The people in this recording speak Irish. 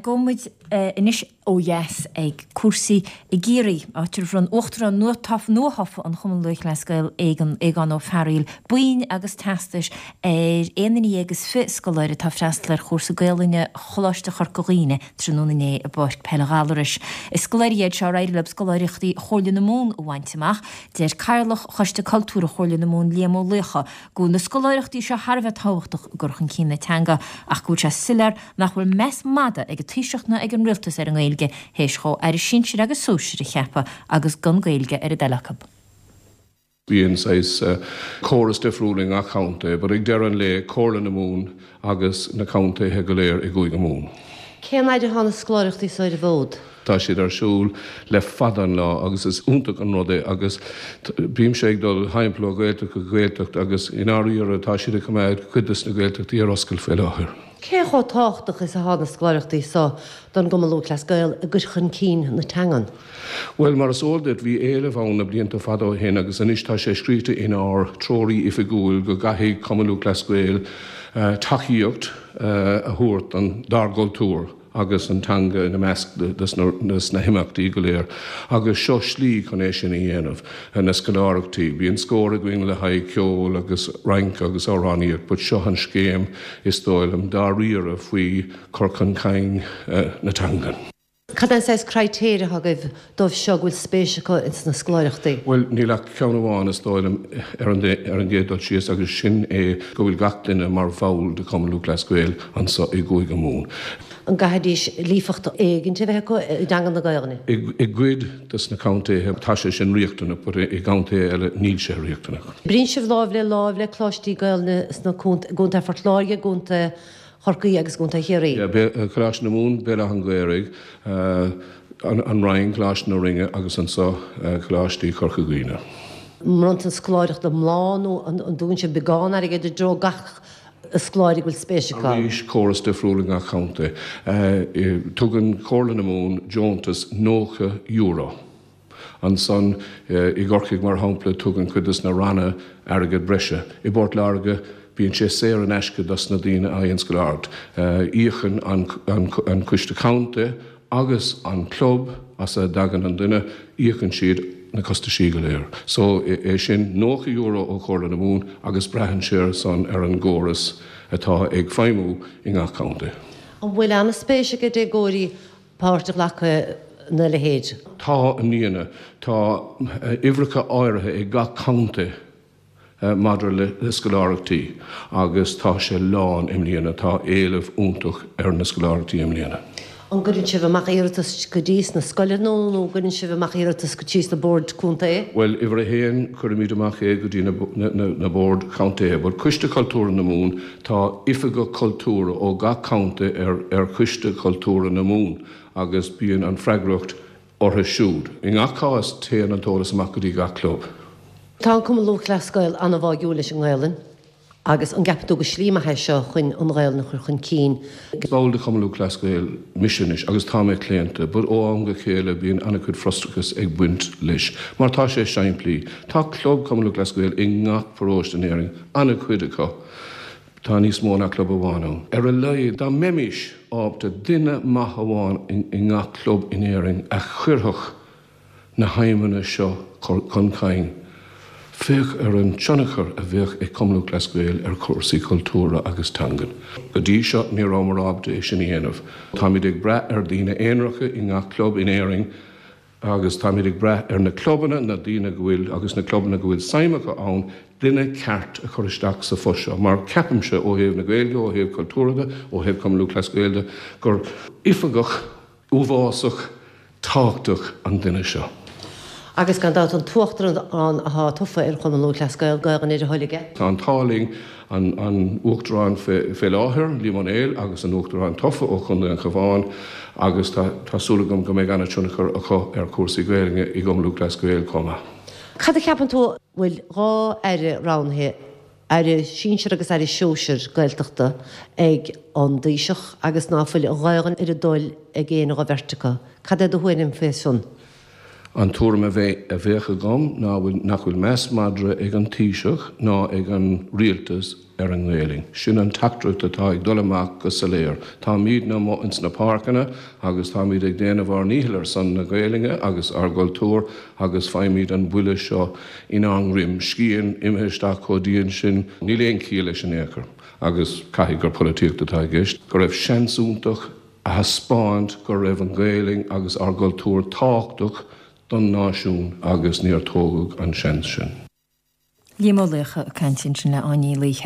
Gabhfaidh muid anois ó dheas ag cúrsaí i gCiarraí, áit ar bhronn Uachtarán nuathofa an Chumainn Lúthchleas Gael, Aogán Ó Fearaíl, boinn agus teastais ar aon duine dhéag is 20 scoláire atá ag freastal ar chúrsa Gaelainne Choláiste Chorca Dhuibhne tráthnóna inné i bPáirc Peile Ghallarais. Is scoláirí iad seo ar éirigh leo scoláireachtaí Chomhairle na Mumhan a bhaint amach. Deir Cathaoirleach Choiste Cultúrtha Chomhairle na Mumhan, Liam Ó Laochdha, go bhfuil na scoláireachtaí seo thar a bheith tábhachtach i gcur chun cinn na teanga ach go bhfuil sé soiléir nach bhfuil meas mada ag an Taoiseach ná ag an Rialtas ar an nGaeilge théis dhó Aire Sinsir agus Sóisir a cheapadh agus gan Gaeilge ar a dtoil acu. Bíonn saghas córas difriúil i ngach contae but ag deireadh an lae, Comhairle na Mumhan agus na contaetha go léir i gCúige Mumhan. Cén fhaid atá na scoláireachtaí so ar an bhfód? Tá siad ar siúl le fada an lá agus is iontach an rud é agus bímse ag dul thimpeall ó Ghaeltacht go Gaeltacht agus i ndáiríre tá siad ag coimeád cuid des na Gaeltachtaí ar oscailt faoi láthair. Cé chomh tábhachtach is atá na scoláireachtaí so don gCumann Lúthchleas Gael i gcur chun cinn na teangan? Bhuel, mar is eol duit, bhí éileamh ann na blianta fada ó shin agus anois tá sé scríte inár dtreoir oifigiúil go gcaithfidh Cumann Lúthchleas Gael tacaíocht a thabhairt don dár gcultúr. agus an teanga ina measc des na himeachtaí go léir agus seo slí chun é sin a dhéanamh, na scoláireachtaí. Bíonn scór againn le haghaidh ceol agus rince agus amhránaíocht but seo an scéim is dóigh liom dáiríre faoi chur chun cinn na teangan. Cad é an saghas critéir atá agaibh dóibh seo go bhfuil spéis acu ins na scoláireachtaí? Bhuel, níl ach ceann amháin is dóigh liom ar an ar an gcéad dul síos agus sin é go bhfuil gach duine mar bhall de Chumann Lúthchleas Gael anso i gCúige Mumhan. An gcaithfidís líofacht éigint a bheith acu i dteanga na Gaelainne? I gcuid des na contaetha tá sé sin riachtanach but i gcontaetha eile níl sé riachtanach. Oibríonn sibh láimh le láimh le coláistí Gaelainne sna i gContae Phort Láirge, i gContae Chorcaí agus i gContae Chiarraí. Yeah, Coláiste na Mumhan, Béal Átha an Ghaorthaidh, An Rinn, Coláiste na Rinne agus anso Coláistí Chorca Dhuibhne. An mbronntar an scoláireacht iomlán nó an dtugann sibh beagán airgid i dtreo gach scoláire go bhfuil spéis acu? Arís, córas difriúil i ngach contae. Tugann Comhairle na Mumhan deontas €90. Ansan i gCorcaigh, mar shampla, tugann cuid des na ranna airgead breise. I bPort Láirge, bíonn sé saor in aisce dos na daoine a fhaigheann scoláireacht. Íocann an coiste contae agus an club as a dtagann an duine, íocann siad na costaisí go léir. So, é sin €90 ó Chomhairle na Mumhan agus braitheann sé ar san ar an gcóras atá ag feidhmiú i ngach contae. An bhfuil an-spéis ag déagóirí páirt a ghlacadh ina leithéid. Tá i mbliana. Tá uimhreacha áirithe ag gach contae maidir le scoláireachtaí agus tá sé lán i mbliana. Tá éileamh iontach ar na scoláireachtaí i mbliana. An gcuireann sibh amach iarratas go dtí sna scoileanna nó an gcuireann sibh amach iarratas go dtí sna boird contae? Bhuel, uimhir a haon, cuirimid amach é go dtí na boird chontae. But Coiste Cultúrtha na Mumhan, Tá oifigeach cultúrtha ó gach contae ar Choiste Cultúrtha na Mumhan agus bíonn an freagracht orthu siúd. I ngach cás téann an t-eolas amach go dtí gach club. Tá an Cumann Lúthchleas Gael an-bháúil leis an nGaelainn agus an gceapann tú gur slí maith é seo chun an Ghaelainn a chur chun cinn? Is ball de Chumann Lúthchleas Gael mise anois agus tá mé claonta but ó am go chéile bíonn an-chuid frustrachas ag baint leis mar tá sé simplí. Tá club Cumann Lúthchleas Gael i ngach paróiste in Éirinn, an-chuid acu. Tá níos mó ná club amháin ann. Ar a laghad, dá mbeimis ábalta duine maith amháin i ngach club in Éirinn a chuirfeadh na haidhmeanna seo chun cinn, féach ar an tionchar a bheadh ag Cumann Lúthchleas Gael ar chúrsaí cultúrtha agus teangan. Go dtí seo, ní rabhamar ábalta é sin a dhéanamh. Táimid ag brath ar daoine aonaracha i ngach club in Éirinn Agus táimid ag brath ar na clubanna, na daoine go bhfuil, agus na clubanna go bhfuil suim acu ann, duine ceart a chur isteach sa phost seo. Mar ceapaimse, ó thaobh na Gaeilge, ó thaobh cultúrtha de, ó thaobh Cumann Lúthchleas Gael de, gur oifigeach uafásach tábhachtach an duine seo. Agus gan dabht an tUachtarán atá tofa ar Chumann Lúthchleas Gael, Gaelainn ar a thoil aige. Tá an t-ádh linn an Uachtarán fé láthair, Liam Ó Néill, agus an Uachtarán tofa ó Chontae an Chabháin agus tá súil agam go mbeidh an-tionchar acu ar chúrsaí Gaelainne i gCumann Lúthchleas Gael chomh maith. Cad a cheapann tú? Bhfuil 2 aire roghnaithe, aire sinsir agus aire sóisir Gaeltachta ag an dTaoiseach agus ná fuil an Ghaelainn ar a dtoil ag éinne dho bheirt acu. Cad é do thuairim faoi san? An tuairim a bheadh agam ná nach bhfuil meas madra ag an Taoiseach ná ag an Rialtas ar an nGaelainn. Sin an teachtaireacht atá ag dul amach go soiléir. Táimídne amuigh ins na páirceanna agus táimíd ag déanamh ár ndícheall ar son na Gaelainne agus ár gcultúr agus faighimíd an buille seo inár ndroim. Scian imithe isteach chomh dian sin, níl aon chiall leis in aon chor. Agus caithfidh gur polaitíocht atá i gceist, go raibh seans iontach a thaispeáint go raibh an Ghaelainn agus ár gcultúr tábhachtach don náisiún agus níor tógadh an seans sin. Liam Ó Laochdha ag caint ansin le Áine Ní Laoithe.